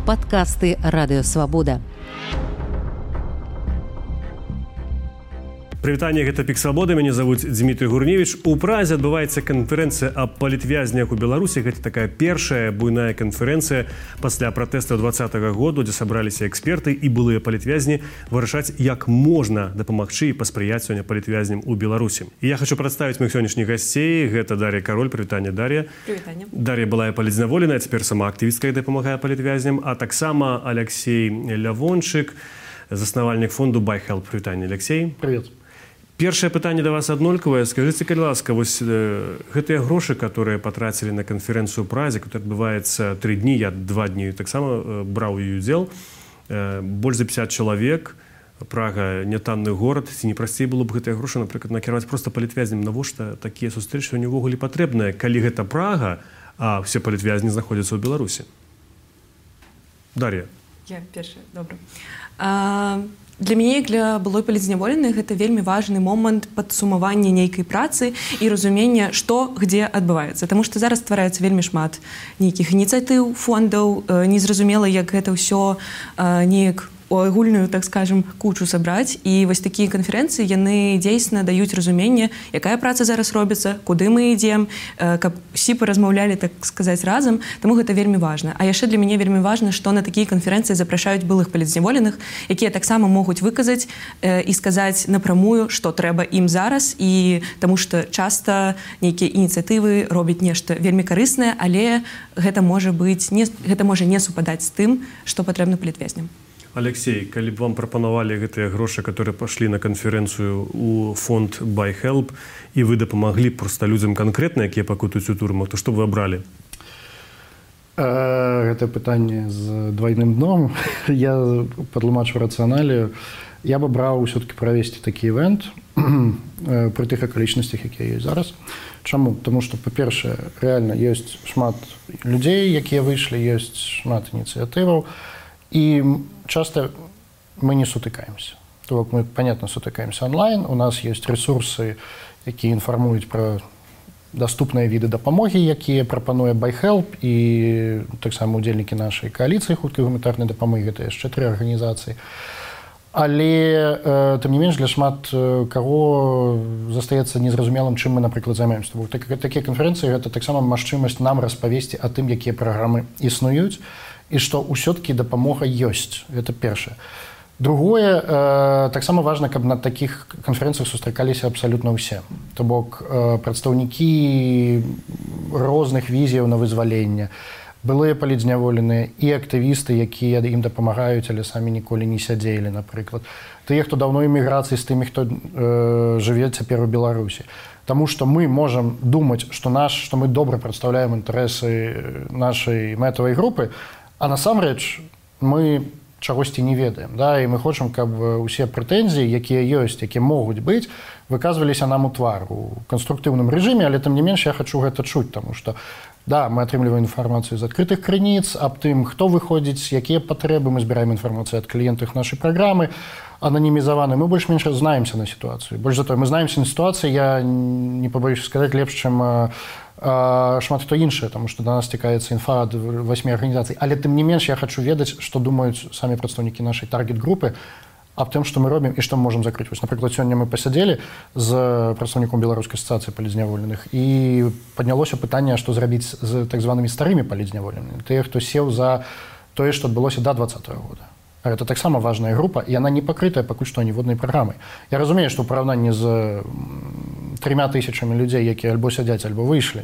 Падкасты Радыё Свабода. Прывітанне, гэта Пік Свабоды, мяне завуць Дмітрий Гурневіч. У Празе адбываецца канферэнцыя аб палітвязнях у Беларусі. Гэта такая першая буйная канферэнцыя пасля пратэстаў 2020 году, дзе сабраліся эксперты і былыя палітвязні вырашаць, як можна дапамагчы і паспрыяць сёння палітвязням у Беларусі. І я хочу прадставіць моих сённяшніх гасцей. Гэта Дар'я Кароль. Прывітанне, Дар'я. Прывітанне. Дар'я былая палітзняволеная, цяпер сама актывістка і дапамагае палітвязням, а таксама Алексей Лявончык, заснавальнік фонду Buy Help. Прывітанне, Алексей. Привет. Першае пытанне да вас аднолькавае. Скажыце, калі ласка, вось гэтыя грошы, которые патрацілі на канферэнцыю ў Празе, которая адбываецца 3 дні, я 2 дні таксама браў у ёй удзел, больш за 50 чалавек, Прага нятанны горад, ці не прасцей было б гэтыя грошы, напрыклад, накіраваць проста палітвязням, навошта такія сустрэчы сёння ўвогуле патрэбныя, калі гэта Прага, а ўсе палітвязні знаходзяцца ў Беларусі? Дар'я. Я першая, добра. Для мяне, для былой палітзняволеных, гэта вельмі важны момант падсумавання нейкай працы і разумення, што дзе адбываецца. Таму што зараз ствараецца вельмі шмат нейкіх ініцыятыў, фондаў, незразумела, як гэта ўсё неяк у агульную, так скажем, кучу сабраць. І вось такія канферэнцыі, яны дзейсна даюць разуменне, якая праца зараз робіцца, куды мы ідзем, каб усі паразмаўлялі, так сказаць, разам. Таму гэта вельмі важна. А яшчэ для мяне вельмі важна, што на такія канферэнцыі запрашаюць былых палітзняволеных, якія таксама могуць выказаць і сказаць напрамую, што трэба ім зараз. І таму што часта нейкія ініцыятывы робяць нешта вельмі карыснае, але гэта можа не супадаць з тым, што патрэбна палітвязням. Алексей, калі б вам прапанавалі гэтыя грошы, которые пашлі на канферэнцыю у фонд Buy Help, і вы дапамаглі проста людзям канкрэтна, якія пакутаюць у турмах, то што б вы абралі? Гэта пытанне з двойным дном. Я падлумачу рацыяналію. Я б абраў ўсё-таки правесці такі івент пры тых акалічнасцях, якія ёсць зараз. Чаму? Таму што, па-першае, рэальна ёсць шмат людзей, якія выйшлі, ёсць шмат ініцыятываў, и часто мы не сутыкаемся. То есть мы, понятно, сутыкаемся онлайн, у нас есть ресурсы, которые информуют про доступные виды дапамоги, якія прапануе Buy Help, и так само удзельнікі нашай коалиции хуткай гуманітарнай дапамоги, это яшчэ 3 организации. Але, тым не менш, для шмат каго застаецца незразумелым, чым мы, напрыклад, займаемся. Такія канферэнцыі — гэта таксама магчымасць нам распавесці о тым, якія праграмы існуюць, і што ўсё-таки дапамога ёсць. Гэта першае. Другое, таксама важна, каб на такіх канферэнцыях сустракаліся абсалютна ўсе. То бок прадстаўнікі розных візіяў на вызваленне, былыя палітзняволеныя і актывісты, якія ім дапамагаюць, але самі ніколі не сядзелі, напрыклад. Тыя, хто даўно эміграцыі, з тымі, хто жыве цяпер у Беларусі. Таму што мы можам думаць, што мы добра прадстаўляем інтарэсы нашай мэтавай групы, а насамрэч мы чагосьці не ведаем. Да? І мы хочам, каб усе прэтэнзіі, якія ёсць, якія могуць быць, выказваліся нам у твар у канструктыўным рэжыме, але тым не менш я хачу гэта чуць, таму што да, мы атрымліваем інфармацыю з адкрытых крыніц аб тым, хто выходзіць, якія патрэбы, мы збіраем інфармацыю ад кліентаў нашай праграмы, ананімізаваны. Мы больш-менш знаемся на сітуацыю. Больш за тое, мы знаемся на сітуацыі, я не пабоюся сказаць лепш, чым шмат хто іншае, таму што да нас стікаецца інфа ад 8 арганізацый. Але тым не менш я хачу ведаць, што думаюць самі прадстаўнікі нашай таргет-групы аб тым, што мы робім і што мы можам закрыць. Вось, напрыклад, сёння мы пасядзелі з прадстаўніком беларускай асацыяцыі палітзняволеных і паднялося пытанне, што зрабіць з так званымі старымі палітзняволенымі, тыя, хто сеў за тое, што адбылося да 2020 года. Гэта таксама важная група, і яна не пакрытая пакуль што ніводнай праграмай. Я разумею, што ў параўнанні з 3000 людзей, якія альбо сядзяць, альбо выйшлі,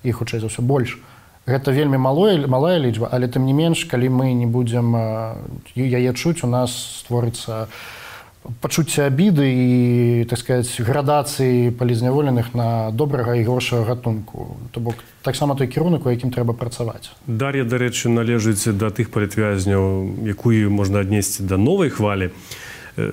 і хутчэй за ўсё больш, гэта вельмі малая лічба, але тым не менш, калі мы не будзем яе чуць, у нас створыцца пачуцце абіды і, так сказаць, градацыі палітзняволеных на добрага і горшага гатунку. То бок таксама той кірунак, у якім трэба працаваць. Дар'я, дарэчы, належыць да тых палітвязняў, якую можна аднесці да новай хвалі.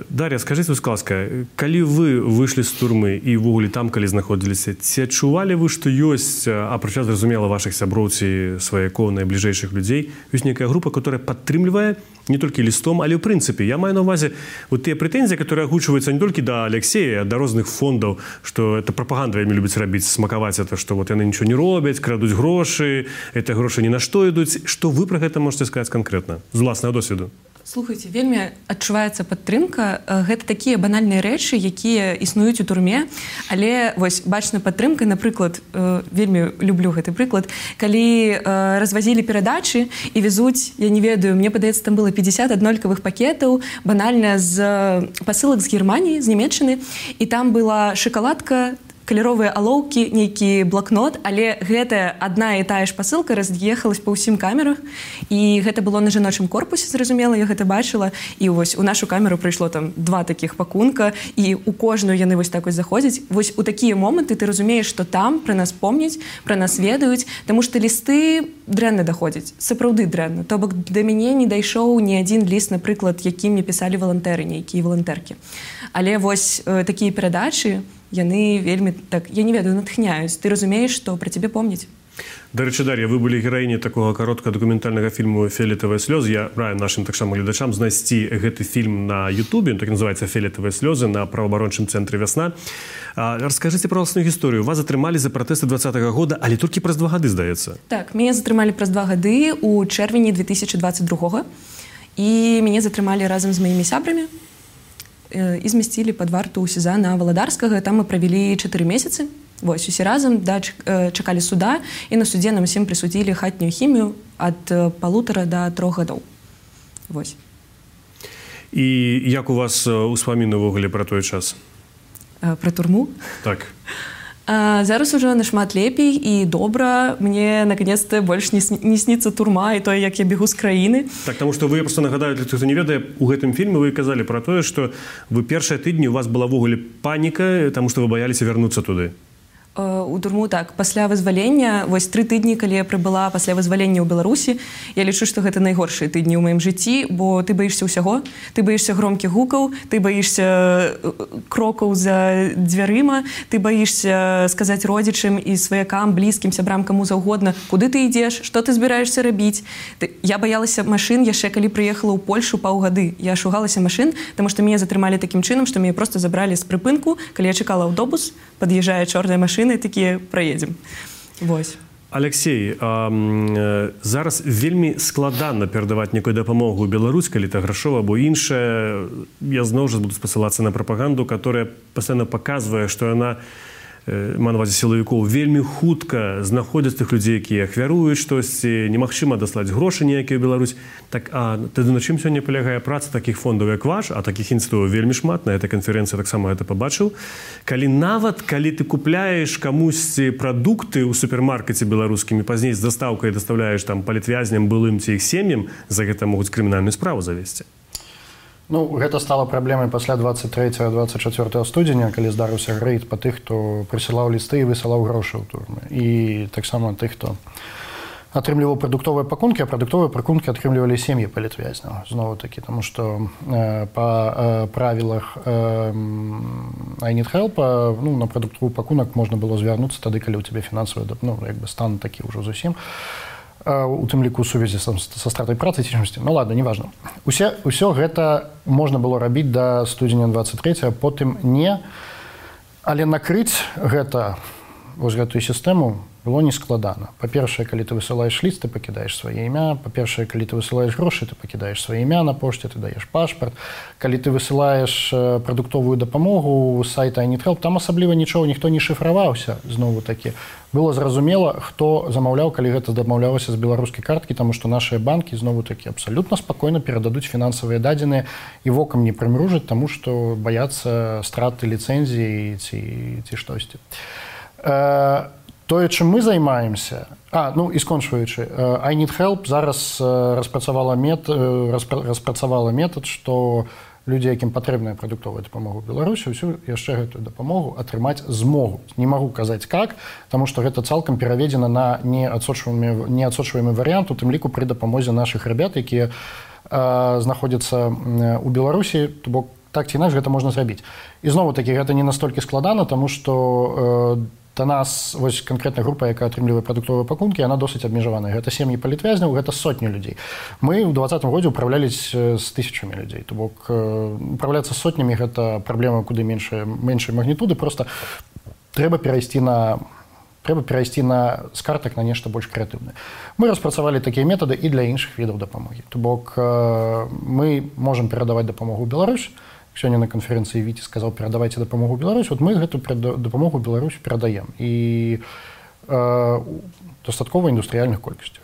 Дар'я, скажыце, будь ласка, калі вы выйшлі з турмы і ўвогуле там, калі знаходзіліся, ці адчувалі вы, што ёсць, апрача, зразумела, вашых сяброў ці сваякоў, найбліжэйшых людзей, ёсць нейкая група, которая падтрымлівае не толькі лістом, але ў прынцыпе, я маю на ўвазе вот тыя прэтэнзіі, которые агучваюцца не толькі да Алексея, а да розных фондаў, што это прапаганда вельмі любіць рабіць, смакаваць это, што вот яны нічого не робяць, крадуць грошы, это грошы ні на што ідуць. Што вы пра гэта можете сказаць канкрэтна з уласнага досведу? Слухайце, вельмі адчуваецца падтрымка. Гэта такія банальныя рэчы, якія існуюць у турме, але вось бачна падтрымка, напрыклад, вельмі люблю гэты прыклад, калі развазілі перадачы і везуць, я не ведаю, мне падаецца, там было 50 аднолькавых пакетаў, банальна з пасылак з Германіі, з Нямецчыны, і там была шакаладка, каляровыя алоўкі, нейкі блокнот, але гэта адна і тая ж пасылка раз'ехалась па ўсім камерах, і гэта было на жаночым корпусе, зразумела, я гэта бачыла, і вось у нашу камеру прыйшло там 2 такіх пакунка, і у кожную яны вось так вось заходзяць. Вось у такія моманты ты разумееш, што там пра нас помняць, пра нас ведаюць, таму што лісты дрэнна даходзяць, сапраўды дрэнна. То бок да мяне не дайшоў ні адзін ліст, напрыклад, які мне пісалі валантэры, нейкія валантэркі. Але вось такія перадачы, яны вельмі, так, я не ведаю, натхняюць. Ты разумееш, што пра цябе помняць. Дарэчы, Дар'я, вы былі гераіней такога кароткага дакументальнага фільму «Фіолетавыя слёзы». Я раю нашым таксама гледачам знайсці гэты фільм на Ютубе, так называецца «Фіолетавыя слёзы» на праваабарончым цэнтры «Вясна». Раскажыце пра ўласную гісторыю. Вас затрымалі за пратэсты 20-го года, але толькі праз 2 гады, здаецца. Так, мяне затрымалі праз 2 гады у чэрвені 2022-го, і мяне затрымалі разам з маімі сябрамі і змясцілі пад варту ў СІЗА на Валадарскага. Там мы правялі 4 месяцы. Вось, усе разам чакалі суда, і на судзе нам усім прысудзілі хатнюю хімію ад 1,5 до 3 гадоў. Вось. І як у вас успаміны ўвогуле пра той час? Пра турму? Так. Зараз ужо нашмат лепей і добра. Мне, наконец-то, больш не сніцца турма і тое, як я бегу з краіны. Так, таму што вы, я проста нагадаю, для тых, хто не ведае, у гэтым фільме вы казалі пра тое, што вы першыя тыдні, у вас была ўвогуле паніка, таму што вы баяліся вярнуцца туды. У турму, так, пасля вызвалення, вось 3 тыдні, калі я прыбыла пасля вызвалення ў Беларусі, я лічу, што гэта найгоршыя тыдні ў маім жыцці, бо ты баішся ўсяго, ты баішся громкіх гукаў, ты баішся крокаў за дзвярыма, ты баішся сказаць родзічам і сваякам, блізкім, сябрам, каму заўгодна, куды ты ідзеш, што ты збіраешся рабіць. Я баялася машын яшчэ, калі прыехала ў Польшу паўгады. Я шугалася машын, таму што мяне затрымалі такім чынам, што мяне проста забралі з прыпынку, калі я чакала аўтобус, пад'язджае чорная машына, і такія праедзем. Вось. Алексей, зараз вельмі складана перадаваць некую дапамогу ў Беларусь, калі это грашова або іншае. Я зноў жа буду спасылацца на прапаганду, которая пастаянна паказвае, што яна, маю на ўвазе сілавікоў, вельмі хутка знаходзяць тых людзей, якія ахвяруюць штосьці, немагчыма даслаць грошы ніякія ў Беларусь. Так, а тады на чым сёння палягае праца такіх фондаў, як ваш, а такіх ініцыятываў вельмі шмат, на этой канферэнцыі таксама гэта пабачыў. Калі нават, калі ты купляеш камусьці прадукты ў супермаркеце беларускім і пазней з дастаўкай дастаўляеш там палітвязням былым ці іх сем'ям, за гэта могуць крымінальную справу завесці. Ну, гэта стала праблемай пасля 23-24 студзеня, калі здарыўся грэйд па тых, хто прысылаў лісты і высылаў грошы ў турмы. І таксама тых, хто атрымліваў прадуктовыя пакункі, а прадуктовыя пакункі атрымлівалі сем'і палітвязняў. Зноў-такі, таму што па правілах I Need Help, ну, на прадуктовы пакунак можна было звярнуцца тады, калі ў цябе фінансавы, ну, як бы стан такі ўжо зусім. У тым ліку ў сувязі са стратай працы ці чымсьці. Ну ладно, неважна. Усё гэта можна было рабіць да студзеня 23, а потым не. Але накрыць гэта, вось гэтую сістэму было нескладана. Па-першае, калі ты высылаеш ліст, ты пакідаеш сваё імя. Па-першае, калі ты высылаеш грошы, ты пакідаеш сваё імя на пошце, ты даеш пашпарт. Калі ты высылаеш прадуктовую дапамогу з сайта I Need Help, там асабліва нічого ніхто не шыфраваўся, зноў-такі. Было зразумела, хто замаўляў, калі гэта дамаўлялася з беларускай карткі, таму што нашыя банкі зноў-такі абсалютна спакойна перададуць фінансавыя дадзеныя і вокам не прымружаць, таму што баяцца страты ліцэнзіі ці штосьці. Тое, чым мы займаемся, ну і скончваючы, I Need Help зараз распрацавала метад, што людзі, якім патрэбная прадуктовая дапамога ў Беларусі, ўсю яшчэ гэтую дапамогу атрымаць змогуць. Не магу казаць как, таму што гэта цалкам пераведзена на неадсочваемы варыянт, у тым ліку пры дапамозе нашых рабят, якія знаходзяцца ў Беларусі, то бок так ці інакш гэта можна зрабіць. І зноў-такі гэта не настолькі складана, таму што да нас вось канкрэтная група, якая атрымлівае прадуктовыя пакункі, яна досыць абмежаваная. Гэта сем'і палітвязняў, гэта сотні людзей. Мы ў 2020 годзе ўпраўлялись з тысячамі людзей. То бок управляцца сотнямі гэта праблема куды меншай магнітуды, просто трэба перайсці на з картак на нешта больш крэатыўнае. Мы распрацавалі такія метады і для іншых відаў дапамогі. То бок мы можам перадаваць дапамогу ў Беларусь. Сёння на канферэнцыі Віці сказаў, перадавайце дапамогу ў Беларусь. Вот мы гэту дапамогу ў Беларусь перадаем. І дастаткова індустрыяльных колькасцях.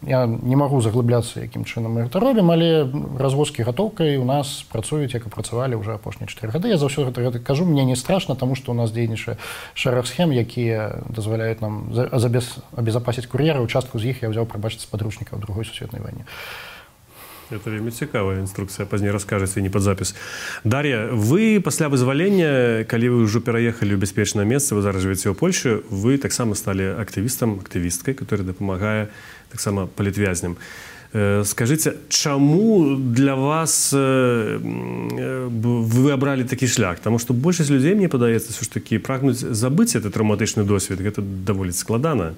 Я не магу заглыбляцца, якім чынам мы гэта робім, але развозкі гатоўкай у нас працуюць, як і працавалі ўжо апошнія 4 гады. Я заўсёды гэта кажу, мне не страшна, таму што ў нас дзейнічае шэраг схем, якія дазваляюць нам абезапасіць кур'еры. Частку з іх я ўзяў, прабачыць, з падручнікаў Другой сусветнай вайны. Это вельмі цікавая інструкцыя, пазней раскажаце, не пад запіс. Дар'я, вы пасля вызвалення, калі вы ўжо пераехалі ў бяспечнае месца, вы зараз жывеце ў Польшы, вы таксама сталі актывісткай, которая дапамагае таксама палітвязням. Скажыце, чаму для вас вы абралі такі шлях? Таму што большасць людзей, мне падаецца, ўсё ж такі прагнуць забыць гэты траўматычны досвед. Гэта даволі складана.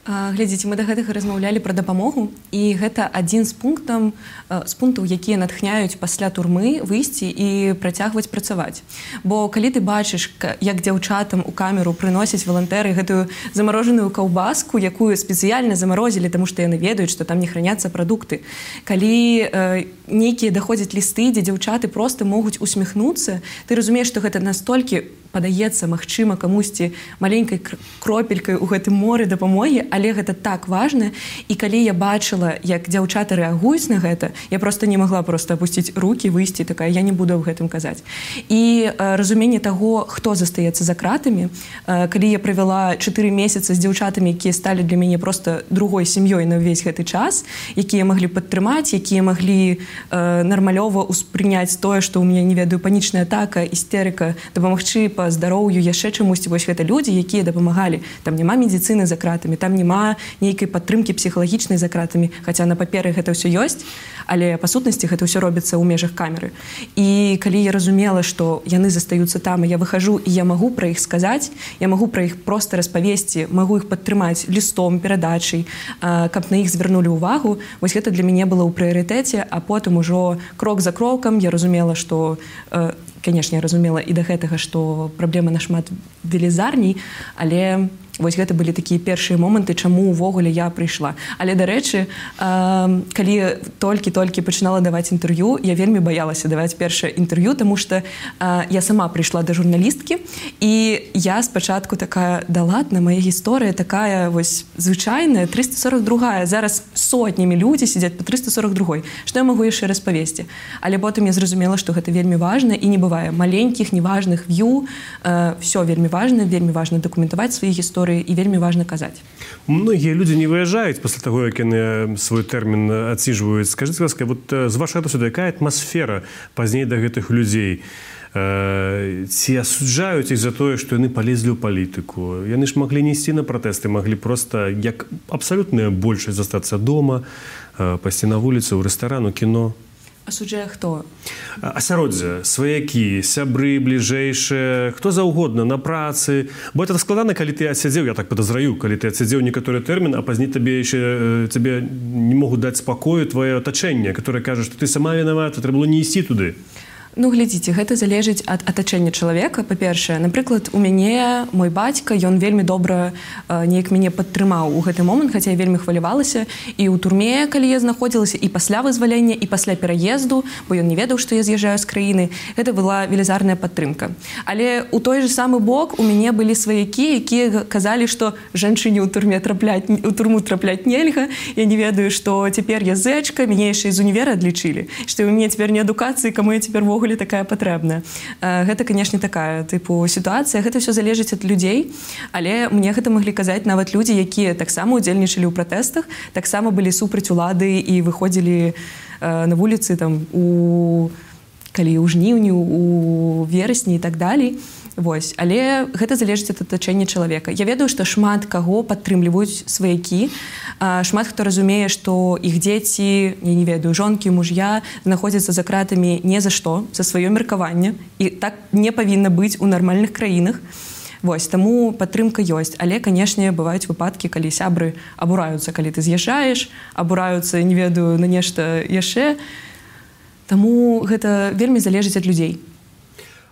Глядзіце, мы да гэтага размаўлялі пра дапамогу, і гэта адзін з пунктаў, якія натхняюць пасля турмы выйсці і працягваць працаваць. Бо калі ты бачыш, як дзяўчатам у камеру прыносяць валантэры гэтую замарожаную каўбаску, якую спецыяльна замарозілі, таму што яны ведаюць, што там не храняцца прадукты. Калі нейкія даходзяць лісты, дзе дзяўчаты проста могуць усміхнуцца, ты разумееш, што гэта настолькі падаецца, магчыма, камусьці маленькай кропелькай у гэтым моры дапамогі, але гэта так важна. І калі я бачыла, як дзяўчаты рэагуюць на гэта, я проста не магла апусціць рукі, выйсці, такая, я не буду аб гэтым казаць. І разуменне таго, хто застаецца за кратамі, калі я правяла 4 месяцы з дзяўчатамі, якія сталі для мяне проста другой сям'ёй на ўвесь гэты час, якія маглі падтрымаць, якія маглі нармалёва ўспрыняць тое, што ў мяне, не ведаю, панічная атака, істэрыка, дапамагчы па здароўю, яшчэ чамусьці. Вось гэта людзі, якія дапамагалі. Там няма медыцыны за кратамі, там няма нейкай падтрымкі псіхалагічнай за кратамі, хаця на паперы гэта ўсё ёсць, але па сутнасці гэта ўсё робіцца ў межах камеры. І калі я разумела, што яны застаюцца там, і я выхажу, і я магу пра іх сказаць, я магу пра іх проста распавесці, магу іх падтрымаць лістом, перадачай, каб на іх звярнулі ўвагу, вось гэта для мяне было ў прыярытэце, а потым ужо крок за крокам я разумела, што конечно, я разумела і да гэтага, што праблема нашмат велізарней, але вось гэта былі такія першыя моманты, чаму ўвогуле я прыйшла. Але, дарэчы, калі толькі пачынала даваць інтэрв'ю, я вельмі баялася даваць першае інтэрв'ю, таму што я сама прыйшла да журналісткі, і я спачатку такая, да ладна, моя гісторыя такая вось звычайная, 342-га, зараз сотнямі людзі сядзяць па 342-й. Што я магу яшчэ распавесці? Але потым я зразумела, што гэта вельмі важна, і не бывае маленькіх, неважных в'ю, всё вельмі важна дакументаваць свае гісторыі, і вельмі важна казаць. Многія людзі не выязджаюць пасля таго, як яны свой тэрмін адсіжваюць. Скажыце, ласка, вот з вашага досведу, якая атмасфера пазней да гэтых людзей? Ці асуджаюць іх за тое, што яны палезлі ў палітыку? Яны ж маглі не ісці на пратэсты, маглі проста, як абсалютная большасць, застацца дома, пайсці на вуліцу, ў рэстаран, у кіно. Асуджае хто? Асяроддзе, сваякі, сябры, бліжэйшыя, хто заўгодна, на працы. Бо это складана, калі ты адсядзеў, я так падазраю, калі ты адсядзеў некаторы тэрмін, а пазней цябе не могуць даць спакою твоё атачэнне, которое кажа, што ты сама вінавата, трэба было не ісці туды. Ну, глядзіце, гэта залежыць ад атачэння чалавека. Па-першае, напрыклад, у мяне мой бацька, ён вельмі добра неяк мяне падтрымаў у гэты момант, хаця я вельмі хвалявалася і ў турме, калі я знаходзілася, і пасля вызвалення, і пасля пераезду, бо ён не ведаў, што я з'язджаю з краіны. Гэта была велізарная падтрымка. Але ў той же самы бок у мяне былі сваякі, якія казалі, што жанчыне ў турму трапляць нельга, я не ведаю, што цяпер я зэчка, мяне яшчэ з універа адлічылі, што ў мяне цяпер не адукацыі, каму я цяпер вогуле такая патрэбная. Гэта, канешне, такая тыпу сітуацыя. Гэта ўсё залежыць ад людзей, але мне гэта маглі казаць нават людзі, якія таксама удзельнічалі ў пратэстах, таксама былі супраць улады і выходзілі на вуліцы там у калі ў жніўні, у верасні і так далей. Вось. Але гэта залежыць ад атачэння чалавека. Я ведаю, што шмат каго падтрымліваюць сваякі, шмат хто разумее, што іх дзеці, я не ведаю, жонкі, муж'я знаходзяцца за кратамі не за што, за сваё меркаванне. І так не павінна быць у нармальных краінах. Вось, таму падтрымка ёсць. Але, канешне, бываюць выпадкі, калі сябры абураюцца, калі ты з'язджаеш, абураюцца, не ведаю, на нешта яшчэ. Таму гэта вельмі залежыць ад людзей.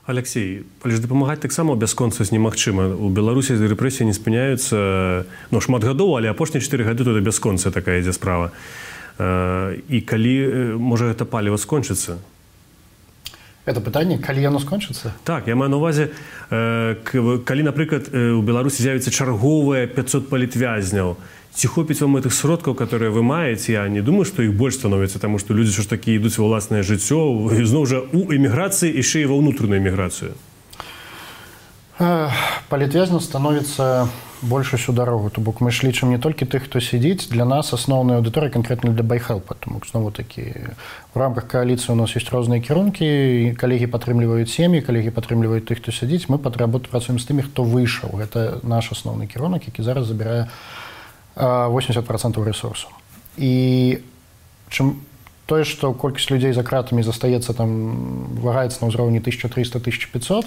Алексей, але ж дапамагаць таксама ў бясконцасць немагчыма. У Беларусі рэпрэсіі не спыняюцца, шмат гадоў, але апошнія 4 гады тут бясконцая такая ідзе справа. І калі можа гэта паліва скончыцца? Это пытанне, калі яно скончыцца? Так, я маю на ўвазе, калі, напрыклад, у Беларусі з'явіцца чарговыя 500 палітвязняў, ці хопіць вам гэтых сродкаў, которые вы маеце? Я не думаю, што іх больш становіцца, таму што людзі ж такі ідуць ва ўласнае жыццё, зноў жа у эміграцыі, яшчэ і ва ўнутраную эміграцыю. Палітвязняў становіцца больш усю дарогу. То бок мы ж лічым не толькі тых, хто сядзіць. Для нас асноўная аўдыторыя канкрэтна для байхелпа. Таму знову такі у рамках кааліцыі у нас ёсць розныя кірункі. Калегі падтрымліваюць сем'і, калегі падтрымліваюць тых, хто сядзіць. Мы працуем з тымі, хто выйшаў. Гэта наш асноўны кірунак, які зараз забірае 80% ресурсу. І чым тое, што колькасць людзей за кратамі застаецца там, вагаецца на ўзроўні 1300-1500,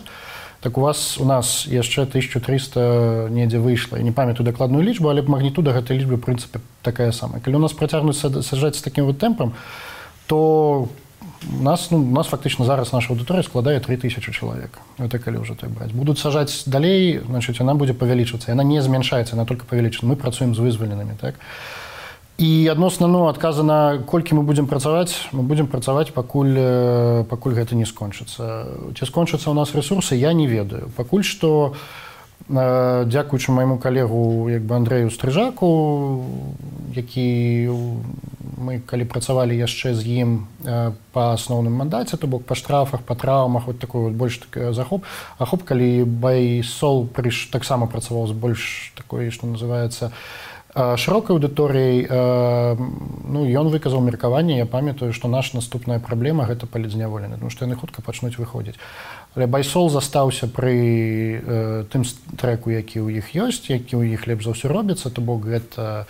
так у нас яшчэ 1300 недзе выйшла. Я не памятаю дакладную лічбу, але магнітуда гэтай лічбы, в прынцыпе, такая самая. Калі у нас працягнуць саджаць з такім вот тэмпам, то у нас фактычна зараз наша аўдыторыя складае 3000 чалавек. Это калі ўжо так браць. Будуць сажаць далей, значыць, яна будзе павялічвацца. Яна не змяншаецца, яна толькі павялічваецца. Мы працуем з вызваленымі, так? І адносна, адказа на колькі мы будзем працаваць, пакуль гэта не скончыцца. Ці скончацца ў нас рэсурсы, я не ведаю. Пакуль што, дзякуючы майму калегу Андрэю Стрыжаку, які мы калі працавалі яшчэ з ім па асноўным мандаце, то бок па штрафах, па траўмах, вот такой вот больш захоп. Ахоп, калі Байсол таксама працаваў з больш такой, што называецца, шырокай аўдыторыяй, ён выказаў меркаванне. Я памятаю, што наша наступная праблема гэта палітзняволены, тому што яны хутка пачнуць выходзіць. Але Байсол застаўся пры тым трэку, які ў іх ёсць, які ў іх лепш за ўсё робіцца, то бок гэта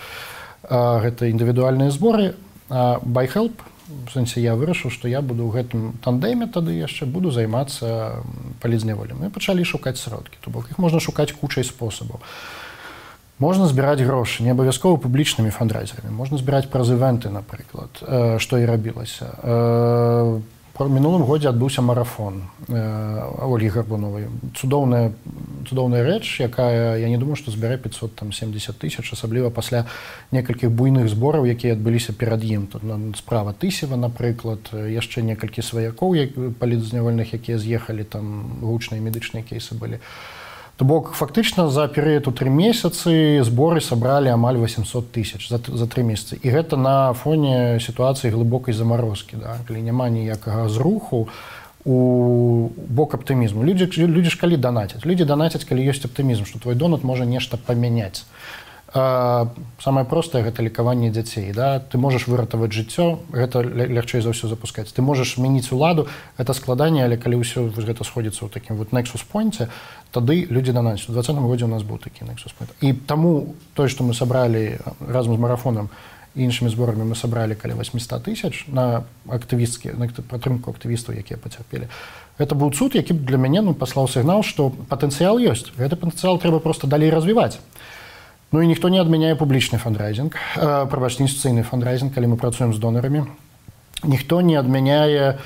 індывідуальныя зборы. Байхелп, в сэнсе я вырашыў, што я буду ў гэтым тандеме тады яшчэ буду займацца палітзняволем. Мы пачалі шукаць сродкі, то бок іх можна шукаць кучай спосабаў. Можна збіраць грошы, не абавязкова публічнымі фандрайзерамі. Можна збіраць праз івенты, напрыклад, што і рабілася. У мінулым годзе адбыўся марафон Ольгі Гарбуновай. Цудоўная рэч, якая, я не думаю, што збярэ 570 000, асабліва пасля некалькіх буйных збораў, якія адбыліся перад ім. Тут справа Тысева, напрыклад, яшчэ некалькі сваякоў палітзнявольных, якія з'ехалі, там гучныя медычныя кейсы былі. То бок, фактычна, за перыяд у 3 месяцы зборы сабралі амаль 800 000 за 3 месяцы. І гэта на фоне сітуацыі глыбокай замарозкі, калі няма ніякага зруху у бок аптымізму. Людзі ж калі данацяць? Людзі данацяць, калі ёсць аптымізм, што твой донат можа нешта памяняць. Самае простае гэта лекаванне дзяцей. Ты можаш выратаваць жыццё, гэта лягчэй за ўсё запускаць. Ты можаш змяніць уладу, гэта складанне, але калі ўсё гэта сходзіцца ў такім вот nexus point, тады людзі данацяць. У 2020 годзе у нас быў такі nexus point. І таму тое, што мы сабралі разам з марафонам і іншымі зборамі, мы сабралі каля 800 000 на падтрымку актывістаў, якія пацярпелі. Гэта быў цуд, які для мяне паслаў сігнал, што патэнцыял ёсць. Гэты патэнцыял трэба проста далей развіваць. Ну і ніхто не адмяняе публічны фандрайзінг, інстытуцыйны фандрайзінг, калі мы працуем з донарамі. Ніхто не адмяняе,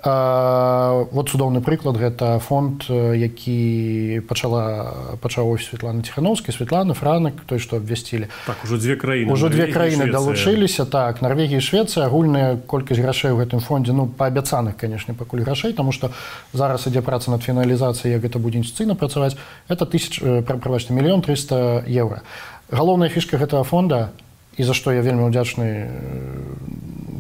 вот цудоўны прыклад, гэта фонд, які пачаў Светлана Ціхановская, Светлана, Франак, той, што абвясцілі. Так, ужо две краіны. Ужо две краіны далучыліся, так, Нарвегія і Швецыя, агульная колькасць грашэй у гэтым фондзе, паабяцаных, канешне, пакуль грашэй, таму што зараз ідзе праца над фіналізацыяй, як гэта будзе інстытуцыйна працаваць, гэта 1 300 000 евро. Галоўная фішка гэтага фонда, і за што я вельмі ўдзячны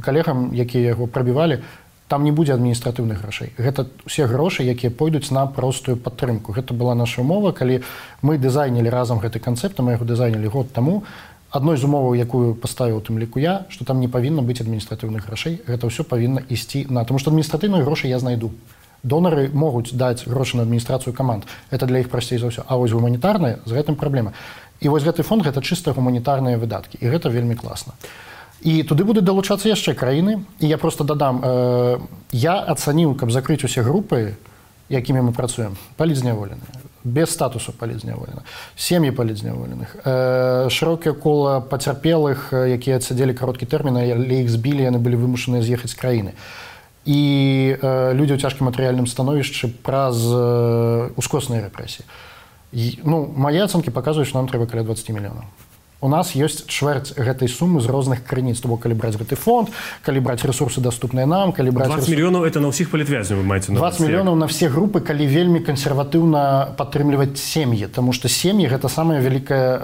калегам, якія яго прабівалі, там не будзе адміністратыўных грашэй. Гэта ўсе грошы, якія пойдуць на простую падтрымку. Гэта была наша умова, калі мы дызайнілі разам гэты канцэпт, мы яго дызайнілі год таму, адной з умоваў, якую паставіў тым ліку я, што там не павінна быць адміністратыўных грошай, гэта ўсё павінна ісці на... Таму што адміністратыўныя грошы я знайду. Донары могуць даць грошы на адміністрацыю каманд. Это для іх прасцей за ўсё. А вось гуманітарныя, з гэтым праблема. І вось гэты фонд, гэта чыста гуманітарныя выдаткі. І гэта вельмі класна. І туды будуць далучацца яшчэ краіны. І я просто дадам, я ацаніў, каб закрыць усе групы, якімі мы працуем, палітзняволеныя, без статусу палітзняволеных, сем'і палітзняволеных, шырокае кола пацярпелых, якія адсядзелі кароткі тэрмін, але іх збілі, яны былі вымушаныя з'ехаць з краіны. І людзі ў цяжкім матэрыяльным становішчы праз ускосныя рэпрэсіі. Ну, мае ацэнкі паказваюць, што нам трэба каля 20 мільёнаў. У нас ёсць чвэрць гэтай сумы з розных крыніц. То бок, калі браць гэты фонд, калі браць ресурсы, даступныя нам, калі браць... 20 мільёнаў – это на ўсіх палітвязняў, вы маеце на ўвазе? 20 мільёнаў на ўсе групы, калі вельмі кансерватыўна падтрымліваць сем'і, таму што сем'і – гэта самая вялікая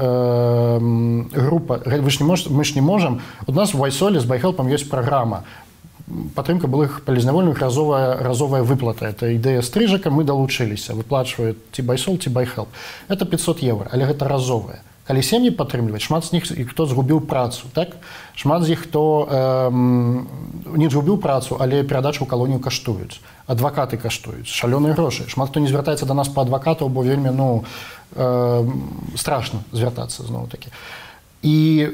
група. Мы ж не можам... У нас в Вайсоле з Байхелпам ёсць праграма. Падтрымка былых палітзняволеных, разовая выплата. Это ідэя стрыжака, мы далучыліся. Выплачваюць ці Байсол, ці Байхелп. Это 500 евро, але гэта разовая. Калі сем'і падтрымліваць, шмат з них, хто згубіў працу, так? Шмат з іх, хто не згубіў працу, але перадачу ў калонію каштуюць. Адвакаты каштуюць, шалёныя грошы. Шмат хто не звяртаецца да нас па адвакатаў, бо вельмі, страшна звяртацца зноў-такі. І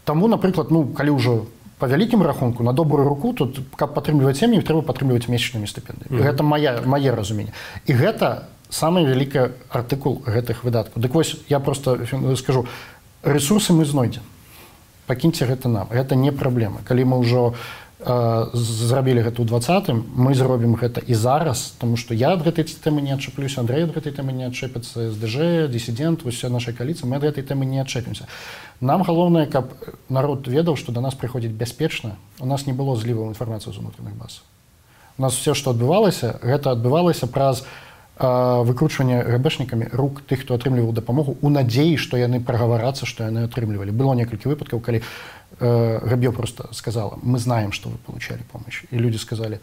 таму, напрыклад, калі ўжо па вялікім рахунку, на добрую руку, тут, каб падтрымліваць сем'і, трэба падтрымліваць месячнымі стыпендыямі. Гэта мае разуменне. І гэта самый вялікі артыкул гэтых выдаткаў. Дык вось, я просто скажу, ресурсы мы знойдзем. Пакіньце гэта нам. Гэта не праблема. Калі мы ўжо зрабілі гэта ў 20-м, мы зробім гэта і зараз, таму што я ад гэтай тэмы не адчэплюся, Андрэй ад гэтай тэмы не адчэпіцца, СДЖ, дысідэнт, вось вся наша кааліцыя, мы ад гэтай тэмы не адчэпімся. Нам галоўнае, каб народ ведаў, што да нас прыходзіць бяспечна, у нас не было зліваў інфармацыі з унутраных баз. У нас все, што адбывалася, гэта адбывалася праз выкручванне ГБшнікамі рук тых, хто атрымліваў дапамогу, у надзеі, што яны прагаварацца, што яны атрымлівалі. Было некалькі выпадкаў, калі Габьё просто сказала: мы знаем, что вы получали помощь. И люди сказали: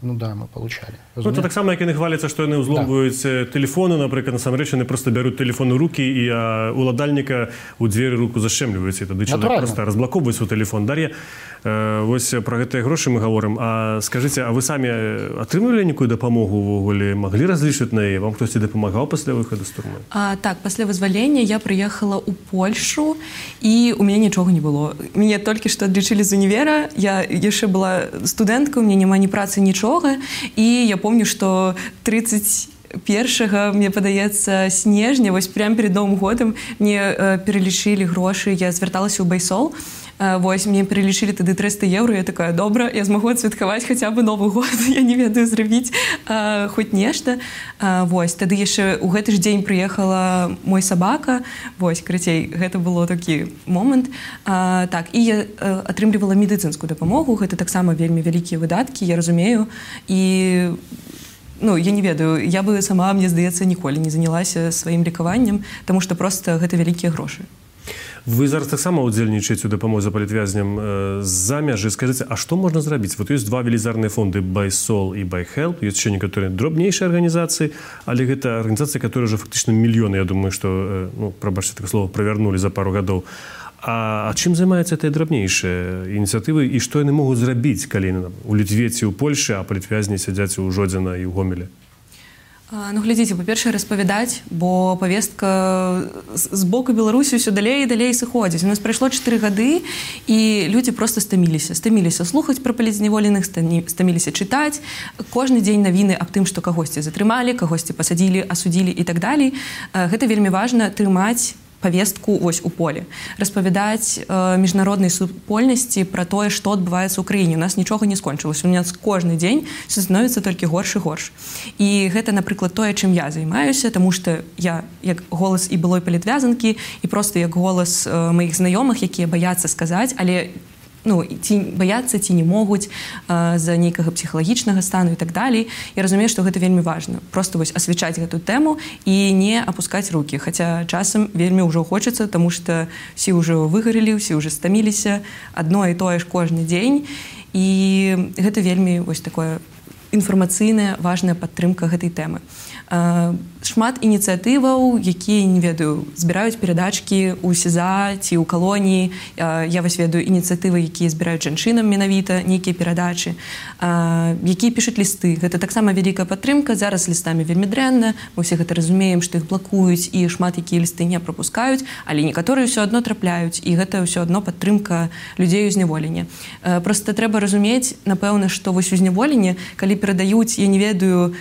ну да, мы получали. Ну, это так само, як яны хваляцца, што яны ўзломваюць тэлефоны, напрыклад, насамрэч яны просто бяруць тэлефон у рукі і уладальніка ў дзверы руку зашчэмліваюць. І тады чалавек просто разблакоўвае свой тэлефон. Дар'я, вось пра гэтыя грошы мы гаворым. А скажыце, а вы самі атрымлівалі нейкую дапамогу ўвогуле? Маглі разлічваць на яе? Вам хтосьці дапамагаў пасля выхаду з турмы? Так, пасля вызвалення я прыехала ў Польшу, і у мяне нічога не было. Мяне толькі што адлічылі з універа, я яшчэ была студэнткай, у мяне няма ні працы, нічога, і я помню, што 31-го, мне падаецца, снежня, вось прямо перед Новым годам мне пералічылі грошы, я звярталася ў Байсол, вось, мне пералічылі тады 300 евро, я такая: добра, я змагу адсвяткаваць хаця бы Новы год, я не ведаю зрабіць хоць нешта. Вось, тады яшчэ ў гэты ж дзень прыехала мой сабака, вось, карацей, гэта было такі момант. Так, і я атрымлівала медыцынскую дапамогу, гэта таксама вельмі вялікія выдаткі, я разумею, і я не ведаю, я бы сама, мне здаецца, ніколі не занялася сваім лекаваннем, таму што проста гэта вялікія грошы. Вы зараз таксама удзельнічаеце ў дапамозе палітвязням з-за мяжы. Скажыце, а што можна зрабіць? Вот ёсць два велізарныя фонды Байсол і Байхелп, ёсць яшчэ некаторыя дробнейшыя арганізацыі, але гэта арганізацыі, которые ўжо фактычна мільёны, я думаю, што, прабачце такое слово, правярнулі за пару гадоў. А чым займаюцца гэтыя драбнейшыя ініцыятывы і што яны могуць зрабіць, калі у Літве ці ў Польшы, а палітвязні сядзяць у Жодзіна і ў Гомелі? Глядзіце, па-першае, распавядаць, бо павестка з боку Беларусі ўсё далей і далей сыходзіць. У нас прайшло 4 гады, і людзі проста стаміліся слухаць пра палітзняволеных, стаміліся чытаць. Кожны дзень навіны аб тым, што кагосьці затрымалі, кагосьці пасадзілі, асудзілі і так далей. Гэта вельмі важна, трымаць павестку вось у поле, распавядаць міжнароднай супольнасці пра тое, што адбываецца ў краіне. У нас нічога не скончылася. У нас кожны дзень все становіцца толькі горш і горш. І гэта, напрыклад, тое, чым я займаюся, таму што я як голас і былой палітвязанкі, і проста як голас маіх знаёмых, якія баяцца сказаць, але ці баяцца, ці не могуць з-за нейкага псіхалагічнага стану і так далей. Я разумею, што гэта вельмі важна. Проста вось асвячаць гэту тэму і не апускаць рукі. Хаця часам вельмі ўжо хочацца, таму што ўсе ўжо выгарэлі, ўсе ўжо стаміліся, адно і тое ж кожны дзень. І гэта вельмі вось такое інфармацыйная важная падтрымка гэтай тэмы. Шмат ініцыятываў, якія, не ведаю, збіраюць перадачкі ў СІЗА ці ў калоніі. Я вось ведаю ініцыятывы, якія збіраюць жанчынам менавіта нейкія перадачы, якія пішуць лісты. Гэта таксама вялікая падтрымка. Зараз лістамі вельмі дрэнна. Мы ўсе гэта разумеем, што іх блакуюць і шмат якія лісты не прапускаюць, але некаторыя ўсё адно трапляюць, і гэта ўсё адно падтрымка людзей у зняволенні. Проста трэба разумець, напэўна, што вось у зняволенні, калі перадаюць, я не ведаю,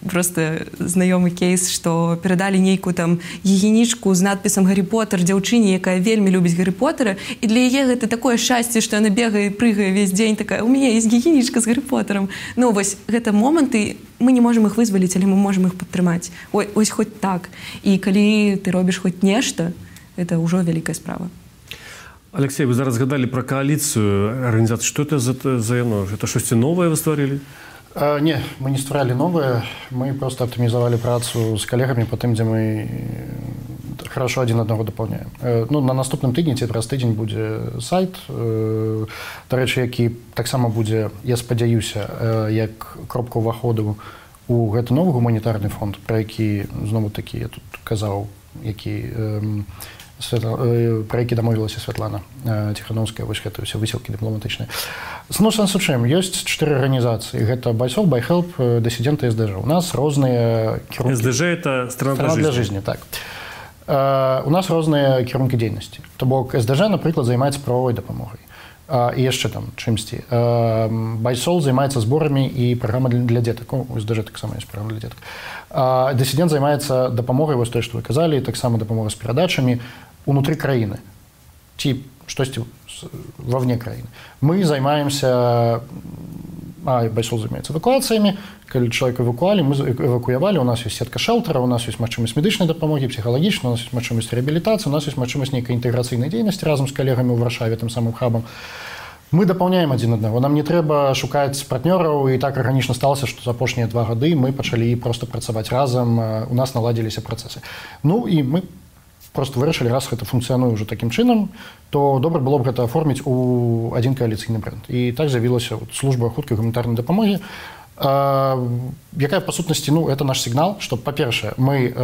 просто знаёмы кейс, што перадалі нейкую там гігіенічку з надпісам «Гаррі Поттер» дзяўчыне, якая вельмі любіць Гаррі Поттера, і для яе гэта такое шчасце, што яна бегае, прыгае весь дзень, такая, у мяне ёсць гігіенічка з Гаррі Поттером. Ну, вось, гэта моманты, мы не можам іх вызваліць, але мы можам іх падтрымаць. Ось хоць так. І калі ты робіш хоць нешта, гэта ўжо вялікая справа. Алексей, вы зараз згадалі пра кааліцыю арганізацыі. Што это за яно? Это штосьці новае вы стварылі? Не, мы не стваралі новае, мы просто аптымізавалі працу з калегамі па тым, дзе мы хорошо адзін аднаго дапаўняем. Ну, на наступным тыдні ці праз тыдзень будзе сайт, дарэчы, які таксама будзе, я спадзяюся, як кропка ўваходу у гэты новы гуманітарны фонд, пра які знову такі я тут казаў, пра які дамовілася Святлана Ціхановская, вось гэта ўсе высілкі дыпламатычныя. Ну, сэнс у чым? Ёсць 4 арганізацыі. Гэта Байсол, Байхелп, Дысідэнты, СДЖ. У нас розныя кірункі... СДЖ – это страна для жизни. Так. У нас розныя кірункі дзейнасці. То бок СДЖ, напрыклад, займаецца правовой дапамогай. І яшчэ там чымсьці. Байсол займаецца зборамі і праграма для дзетак. У СДЖ таксама ёсць праграма для дзетак. Дысідэнт займаецца дапамогай, вось тое, што вы казалі, таксама дапамога з перадачамі унутры краіны ці штосьці вовне краіны. Мы займаемся, Байсол займаецца эвакуацыямі, калі чалавек эвакуявалі, у нас ёсць сетка шэлтара, у нас ёсць магчымасць медычнай дапамогі, псіхалагічнай, у нас ёсць магчымасць рэабілітацыі, у нас ёсць магчымасць нейкай інтэграцыйнай дзейнасці разам з калегамі ў Варшаве, тым самым хабам. Мы дапаўняем адзін аднаго. Нам не трэба шукаць партнёраў, і так арганічна сталася, што за апошнія 2 гады мы пачалі проста працаваць разам, у нас наладзіліся працэсы. Ну і мы просто вырашылі, раз гэта функцыянуе ўжо такім чынам, то добра было б гэта аформіць у адзін кааліцыйны брэнд. І так з'явілася служба хуткай гуманітарнай дапамогі, якая, па сутнасці, ну, это наш сігнал, што, па-першае, мы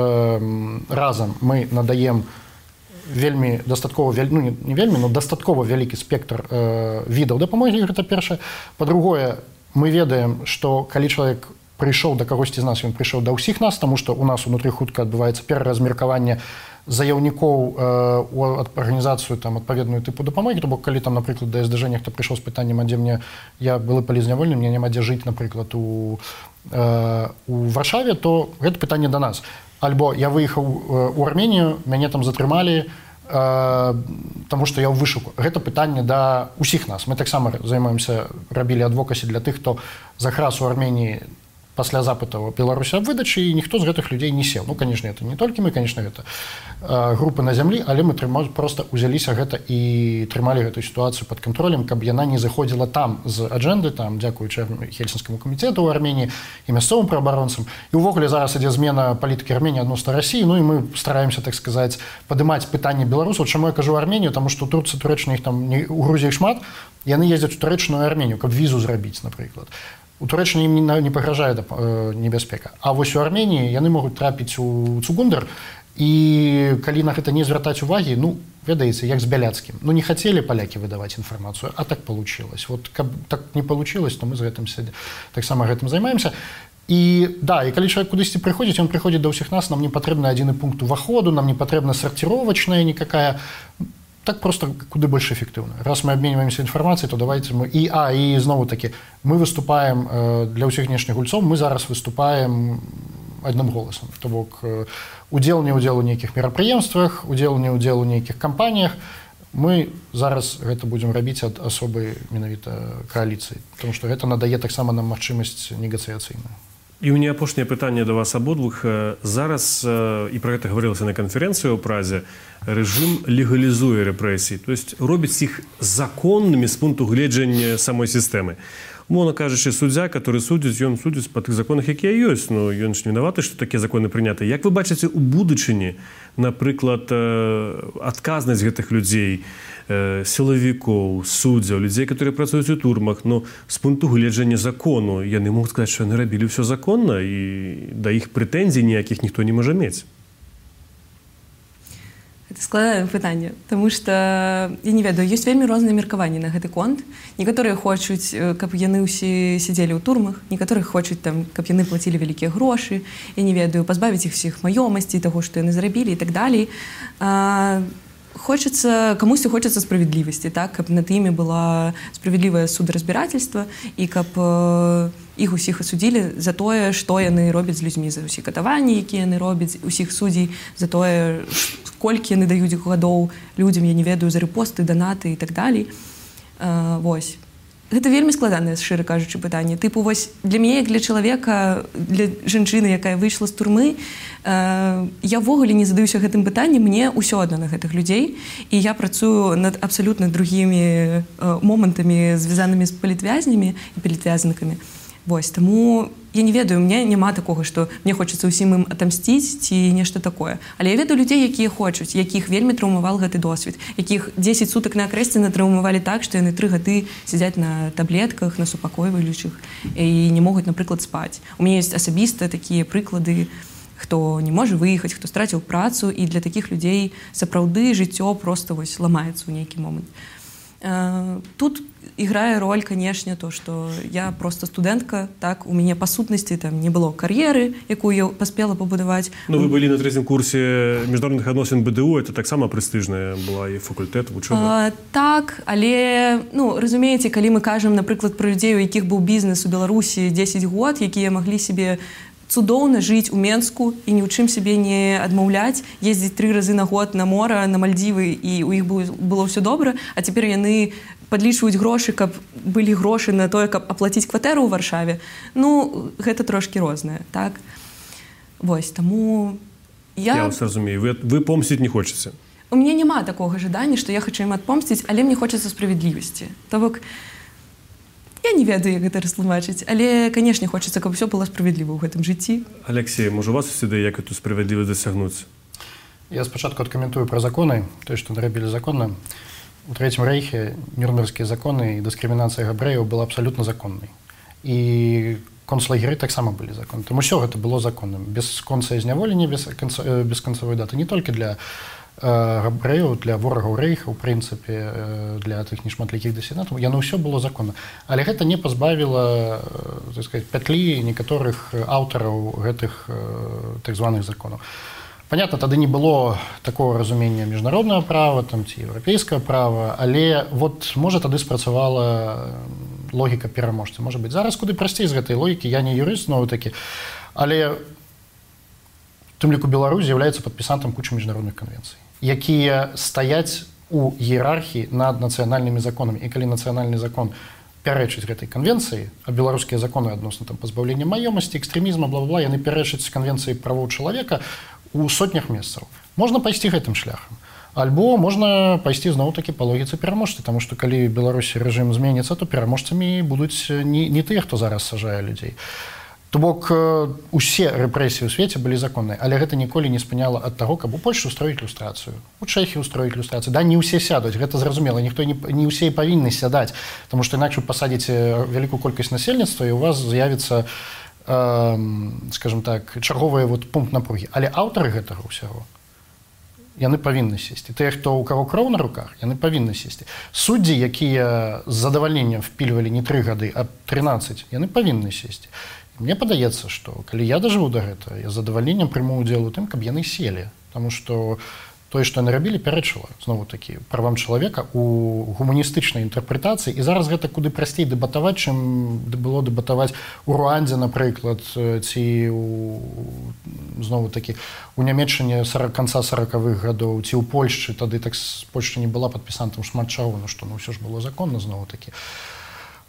разам мы надаем вельмі дастаткова, ну, не вельмі, но дастаткова вялікі спектр відаў дапамогі, гэта першае. Па-другое, мы ведаем, што калі чалавек прыйшоў да кагосьці з нас, ён прыйшоў да ўсіх нас, таму што у нас унутры хутка адбываецца пераразмеркаванне заяўнікоў у арганізацыю там адпаведную тыпу дапамогі, то бок калі там, напрыклад, да СДЖ нехта прыйшоў з пытаннем, а дзе мне, я былы палізнявольны, мне няма дзе жыць, напрыклад, у Варшаве, то гэта пытанне да нас. Альбо я выехаў у Арменію, мяне там затрымалі, таму што я ў вышуку. Гэта пытанне да ўсіх нас. Мы таксама займаемся, рабілі адвокасі для тых, хто закрас у Арменіі пасля запытаў Беларусі аб выдачы, і ніхто з гэтых людзей не сеў. Ну, канешне, это не толькі мы, канешне, гэта групы на зямлі, але мы проста ўзяліся гэта і трымалі гэтую сітуацыю пад кантролем, каб яна не заходзіла там з аджэнды, там, дзякуючы Хельсінскаму камітету ў Арменіі і мясцовым праабаронцам. І ўвогуле зараз ідзе змена палітыкі Арменіі адносна Расіі, ну і мы стараемся, так сказаць, падымаць пытанне беларусаў. Чаму я кажу Арменію? Таму што Турцыя, Турэччына, іх там у Грузіі шмат, яны ездзяць у Турэччыну і Арменію, каб візу зрабіць, напрыклад. У Турэччыне ім не пагражае небяспека. А вось у Арменіі яны могуць трапіць у Цугундар, і калі на гэта не звяртаць увагі, ну, ведаеце, як з Бяляцкім. Ну, не хацелі палякі выдаваць інфармацыю, а так получилось. Вот каб так не получилось, то мы з гэтым таксама гэтым займаемся. І да, і калі чалавек кудысьці прыходзіць, ён прыходзіць да ўсіх нас, нам не патрэбны адзіны пункт уваходу, нам не патрэбна сарціровачная никакая. Так просто куды больш эфектыўна. Раз мы абменьваемся інфармацыяй, то давайте мы... І знову таки, мы выступаем для ўсіх знешніх гульцоў, мы зараз выступаем адным голасам. То бок, удзел не удзел у нейкіх мерапрыемствах, удзел не удзел у нейкіх кампаніях, мы зараз гэта будзем рабіць ад асобай менавіта кааліцыі, тому што гэта надае таксама нам магчымасць негацыяцыйную. І у меня апошняе пытанне да вас абодвух. Зараз, і пра гэта гаварылася на канферэнцыі ў Празе, рэжым легалізуе рэпрэсіі, то есть робіць іх законнымі з пункту гледжання самой сістэмы. умоўна кажучы, суддзя, который судзіць, ён судзіць па тых законах, якія ёсць, но ён ж не вінаваты, што такія законы прыняты. Як вы бачыце у будучыні, напрыклад, адказнасць гэтых людзей, сілавікоў, суддзяў, людзей, которые працуюць у турмах, но з пункту гледжання закону яны могуць сказаць, што яны рабілі ўсё законна і да іх прэтэнзій ніякіх ніхто не можа мець. Это складанае пытанне, таму што я не ведаю, ёсць вельмі розныя меркаванні на гэты конт. Некаторыя хочуць, каб яны ўсе сядзелі ў турмах, некаторыя хочуць там, каб яны плацілі вялікія грошы, я не ведаю, пазбавіць іх всіх маёмасцей, таго, што яны зрабілі і так далей. Камусьці хочацца справядлівасці, так, каб над імі была справядлівае сударазбірательства і каб іх усіх асудзілі за тое, што яны робяць з людзьмі, за ўсе катаванні, якія яны робяць, усіх суддзей, за тое, колькі яны даюць гадоў людзям, я не ведаю, за рэпосты, данаты і так далей. Вось. Гэта вельмі складанае, шчыра кажучы, пытанне. Тыпу, вось, для мяне, як для чалавека, для жанчыны, якая выйшла з турмы, я ўвогуле не задаюся гэтым пытаннем, мне ўсё адно на гэтых людзей, і я працую над абсалютна другімі момантамі, звязанымі з палітвязнямі і палітвязнікамі. Вось, таму я не ведаю, мне няма такога, што мне хочацца ўсім ім атамсціць ці нешта такое. Але я ведаю людзей, якія хочуць, якіх вельмі траўмаваў гэты досвед, якіх 10 сутак на акрэсце натраўмавалі так, што яны 3 гады сядзяць на таблетках, на супакойваючых і не могуць, напрыклад, спаць. У мяне ёсць асабіста такія прыклады, хто не можа выехаць, хто страціў працу, і для такіх людзей сапраўды жыццё проста вось ламаецца ў нейкі момант. Тут іграе роль, канешне, то, што я проста студэнтка, так, у мяне па сутнасці там не было кар'еры, якую я паспела пабудаваць. Ну, вы былі на 3-м курсе міжнародных адносін БДУ, это таксама прэстыжная была і факультэт, вучоба. Так, але, ну, разумееце, калі мы кажам, напрыклад, пра людзей, у якіх быў бізнес у Беларусі 10 год, якія маглі сябе цудоўна жыць у Менску і ні ў чым сябе не адмаўляць, ездзіць 3 разы на год на мора, на Мальдзівы, і ў іх было ўсё добра, а цяпер яны падлічваюць грошы, каб былі грошы на тое, каб аплаціць кватэру ў Варшаве. Ну, гэта трошкі рознае, так? Вось, таму Я вас разумею, вы помсціць не хочаце. У мяне няма такога жадання, што я хачу ім адпомсціць, але мне хочацца справядлівасці. То бок, я не ведаю, як гэта растлумачыць, але, канешне, хочацца, каб усё было справядліва ў гэтым жыцці. Алексей, можа, у вас ёсць ідэя, як эту справядлівасць дасягнуць? Я спачатку адкаментую пра законы, тое, што нарабілі законна. У Трэцім рэйхе нюрнбергскія законы і дыскрымінацыя габрэяў была абсалютна законнай. І концлагеры таксама былі законны. Таму ўсё гэта было законным. Без конца зняволення, без канцавой даты. Не толькі для габрэяў, для ворагаў рэйха, у прынцыпе, для тых нешматлікіх дысідэнтаў. Яно ўсё было законна. Але гэта не пазбавіла, так сказаць, пятлі некаторых аўтараў гэтых так званых законаў. Понятно, тады не было такого разумення міжнароднага права, там, ці еўрапейскага права, але вот, можа, тады спрацавала логіка пераможцы. Можа быць, зараз куды прасцей з гэтай логікі, я не юрыст, зноў-такі, але у тым ліку Беларусь з'яўляецца падпісантам кучы міжнародных канвенцый, якія стаяць у іерархіі над нацыянальнымі законамі. І калі нацыянальны закон пярэчыць гэтай канвенцыі, а беларускія законы адносна там пазбаўлення маёмасці, экстрэмізма, бла-бла-бла, яны пярэчаць канвенцыі правоў чалавека у сотнях месцаў. Можна пайсці гэтым шляхам. Альбо можна пайсці зноў-такі па логіцы пераможцы, таму што калі Беларусі рэжым зменіцца, то пераможцамі будуць не тыя, хто зараз сажае людзей. То бок, усе рэпрэсіі ў свеце былі законныя, але гэта ніколі не спыняла ад таго, каб у Польшы ўстроіць люстрацыю, у Чэхіі ўстроіць люстрацыю. Да, не ўсе сядуць, гэта зразумела, ніхто не ўсе і павінны сядаць, таму што інакш вы пасадзіце вялікую колькасць насельніцтва, і у вас з'явіцца, скажем так, чарговы вот пункт напругі. Але аўтары гэтага ўсяго, яны павінны сесці. Тыя, хто ў каго кроў на руках, яны павінны сесці. Суддзі, якія з задавальненнем впільвалі не 3 гады, а 13, яны павінны сесці. Мне падаецца, што калі я дажыву да гэтага, я з задавальненнем прыму ўдзел у тым, каб яны селі, таму што тое, што яны рабілі, пярэчыла зноў-такі правам чалавека у гуманістычнай інтэрпрэтацыі. І зараз гэта куды прасцей дэбатаваць, чым было дэбатаваць у Руандзе, напрыклад, ці зноў-такі у Нямецчыне канца 40-х гадоў, ці ў Польшчы, тады так Польшча не была падпісантам шмат чаго, ну што, ну ўсё ж было законна зноў-такі.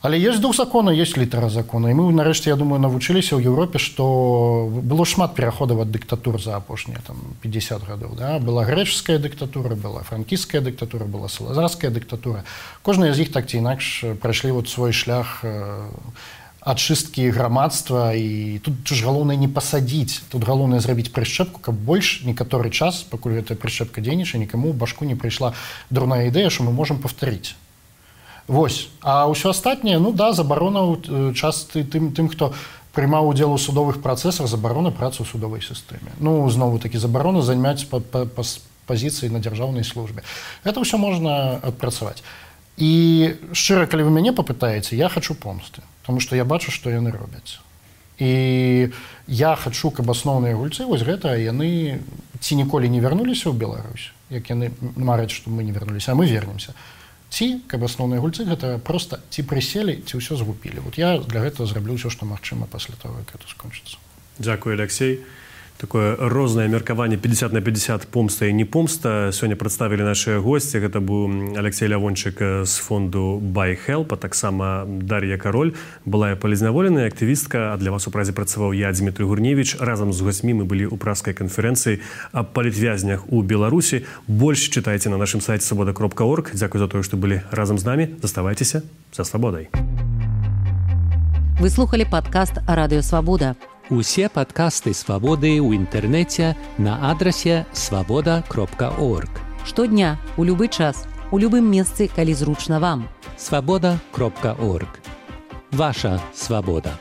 Але ёсць дух закона, ёсць літара закона. І мы, нарэшце, я думаю, навучыліся ў Еўропе, што было шмат пераходаў ад дыктатур за апошнія 50 гадоў. Да? Была грэчаская дыктатура, была франкійская дыктатура, была салазарская дыктатура. Кожная з іх так ці інакш прайшлі свой шлях ачысткі грамадства. І тут ж галоўнае не пасадзіць, тут галоўнае зрабіць прышчэпку, каб больш некаторы час, пакуль гэтая прышчэпка дзейнічае, нікаму ў башку не прыйшла дурная ідэя, што мы можам паўтарыць. Вось. А ўсё астатняе, забарона часты тым, хто прымаў удзел у судовых працэсах, забарона працы ў судовай сістэме. Знову такі забарона займаць пазіцыі на дзяржаўнай службе. Гэта ўсё можна адпрацаваць. І шчыра, калі вы мяне папытаеце, я хачу помсты, тому што я бачу, што яны робяць. І я хачу, каб асноўныя гульцы, вось гэта, яны ці ніколі не вярнуліся ў Беларусь, як яны мараць, што мы не вярнуліся, а мы вернемся. Ці, каб асноўныя гульцы, гэта проста ці прыселі, ці ўсё згубілі. Вот я для гэтага зраблю ўсё, што магчыма пасля таго, як гэта скончыцца. Дзякуй, Алексей. Такое рознае меркаванне 50 на 50 помста і не помста. Сёння прадставілі нашыя госці. Гэта быў Алексей Лявончык з фонду Buy Help, а таксама Дар'я Кароль, былая палізняволеная актывістка, а для вас у празе працаваў я, Дмітрый Гурневіч. Разам з госцьмі мы былі ў пражскай канферэнцыі аб палітвязнях у Беларусі. Больш чытайце на нашым сайце свабода.орг. Дзякуй за тое, што былі разам з намі. Заставайцеся за свабодай. Вы слухали падкаст «Радыё Свабода». Усе падкасты «Свабоды» ў інтэрнэце на адрасе свабода.орг. Штодня, у любы час, у любым месцы, калі зручна вам. Свабода.орг. Ваша свабода.